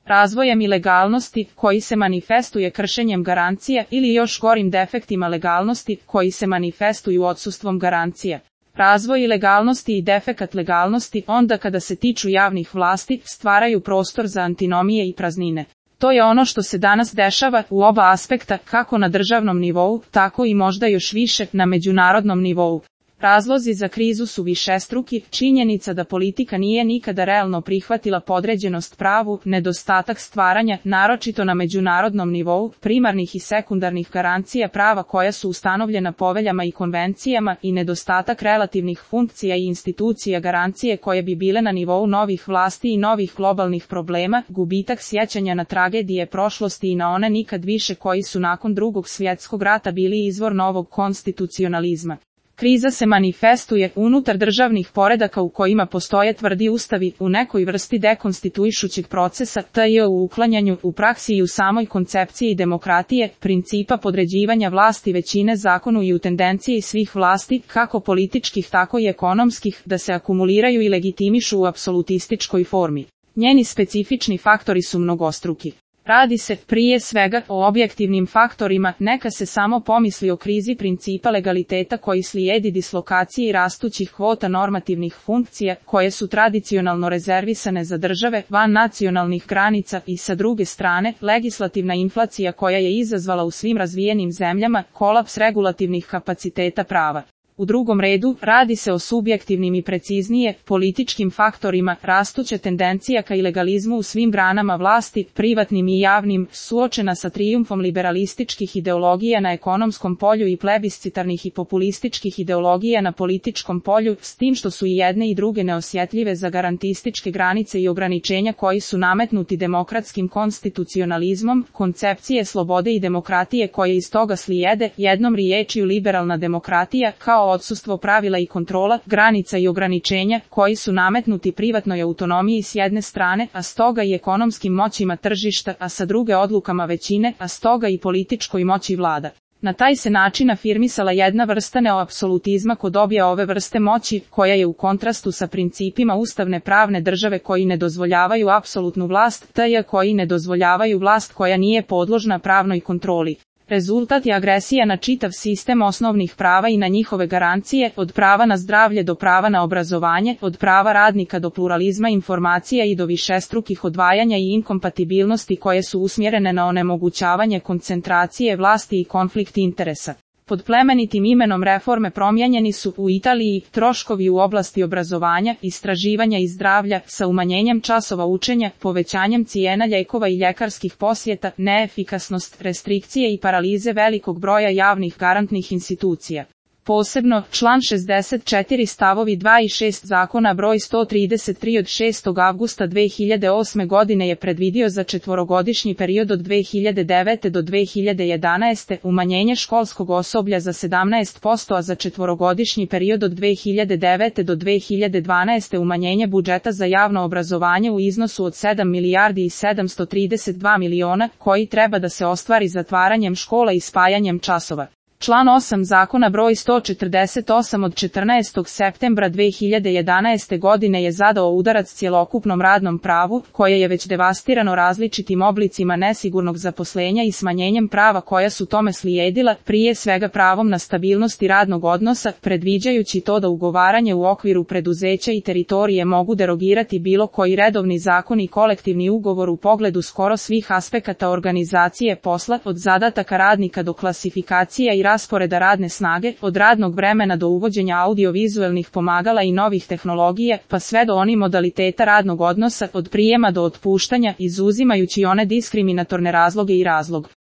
razvojem ilegalnosti, koji se manifestuje kršenjem garancija ili još gorim defektima legalnosti, koji se manifestuju odsustvom garancija. Razvoj ilegalnosti i defekat legalnosti onda kada se tiču javnih vlasti stvaraju prostor za antinomije i praznine. To je ono što se danas dešava u oba aspekta, kako na državnom nivou, tako i možda još više na međunarodnom nivou. Razlozi za krizu su višestruki, činjenica da politika nije nikada realno prihvatila podređenost pravu, nedostatak stvaranja, naročito na međunarodnom nivou, primarnih i sekundarnih garancija prava koja su ustanovljena poveljama i konvencijama i nedostatak relativnih funkcija i institucija garancije koje bi bile na nivou novih vlasti i novih globalnih problema, gubitak sjećanja na tragedije prošlosti i na one nikad više koji su nakon Drugog svjetskog rata bili izvor novog konstitucionalizma. Kriza se manifestuje unutar državnih poredaka u kojima postoje tvrdi ustavi, u nekoj vrsti dekonstituišućeg procesa, tj. u uklanjanju, u praksi i u samoj koncepciji demokratije, principa podređivanja vlasti većine zakonu i u tendenciji svih vlasti, kako političkih tako i ekonomskih, da se akumuliraju i legitimišu u apsolutističkoj formi. Njeni specifični faktori su mnogostruki. Radi se, prije svega, o objektivnim faktorima, neka se samo pomisli o krizi principa legaliteta koji slijedi dislokaciji rastućih kvota normativnih funkcija, koje su tradicionalno rezervisane za države van nacionalnih granica i sa druge strane, legislativna inflacija koja je izazvala u svim razvijenim zemljama kolaps regulativnih kapaciteta prava. U drugom redu, radi se o subjektivnim i preciznije, političkim faktorima, rastuća tendencija ka ilegalizmu u svim granama vlasti, privatnim i javnim, suočena sa trijumfom liberalističkih ideologija na ekonomskom polju i plebiscitarnih i populističkih ideologija na političkom polju, s tim što su i jedne i druge neosjetljive za garantističke granice i ograničenja koji su nametnuti demokratskim konstitucionalizmom, koncepcije slobode i demokratije koje iz toga slijede, jednom riječju liberalna demokratija, kao odsustvo pravila i kontrola, granica i ograničenja, koji su nametnuti privatnoj autonomiji s jedne strane, a stoga i ekonomskim moćima tržišta, a sa druge odlukama većine, a stoga i političkoj moći vlada. Na taj se način afirmisala jedna vrsta neoapsolutizma kod obje ove vrste moći, koja je u kontrastu sa principima ustavne pravne države koji ne dozvoljavaju apsolutnu vlast, tj. koji ne dozvoljavaju vlast koja nije podložna pravnoj kontroli. Rezultat je agresija na čitav sistem osnovnih prava i na njihove garancije, od prava na zdravlje do prava na obrazovanje, od prava radnika do pluralizma informacija i do višestrukih odvajanja i inkompatibilnosti koje su usmjerene na onemogućavanje koncentracije vlasti i konflikt interesa. Pod plemenitim imenom reforme promijenjeni su u Italiji troškovi u oblasti obrazovanja, istraživanja i zdravlja, sa umanjenjem časova učenja, povećanjem cijena lijekova i ljekarskih posjeta, neefikasnost, restrikcije i paralize velikog broja javnih garantnih institucija. Posebno, član 64 stavovi 2 i 6 zakona broj 133 od 6. avgusta 2008. godine je predvidio za četvorogodišnji period od 2009. do 2011. umanjenje školskog osoblja za 17%, a za četvorogodišnji period od 2009. do 2012. umanjenje budžeta za javno obrazovanje u iznosu od 7 milijardi i 732 miliona, koji treba da se ostvari zatvaranjem škola i spajanjem časova. Član 8 zakona broj 148 od 14. septembra 2011. godine je zadao udarac cjelokupnom radnom pravu, koje je već devastirano različitim oblicima nesigurnog zaposlenja i smanjenjem prava koja su tome slijedila, prije svega pravom na stabilnost i radnog odnosa, predviđajući to da ugovaranje u okviru preduzeća i teritorije mogu derogirati bilo koji redovni zakon i kolektivni ugovor u pogledu skoro svih aspekata organizacije posla, od zadataka radnika do klasifikacija i rasporeda radne snage, od radnog vremena do uvođenja audiovizuelnih pomagala i novih tehnologija, pa sve do onih modaliteta radnog odnosa, od prijema do otpuštanja, izuzimajući one diskriminatorne razloge i razlog.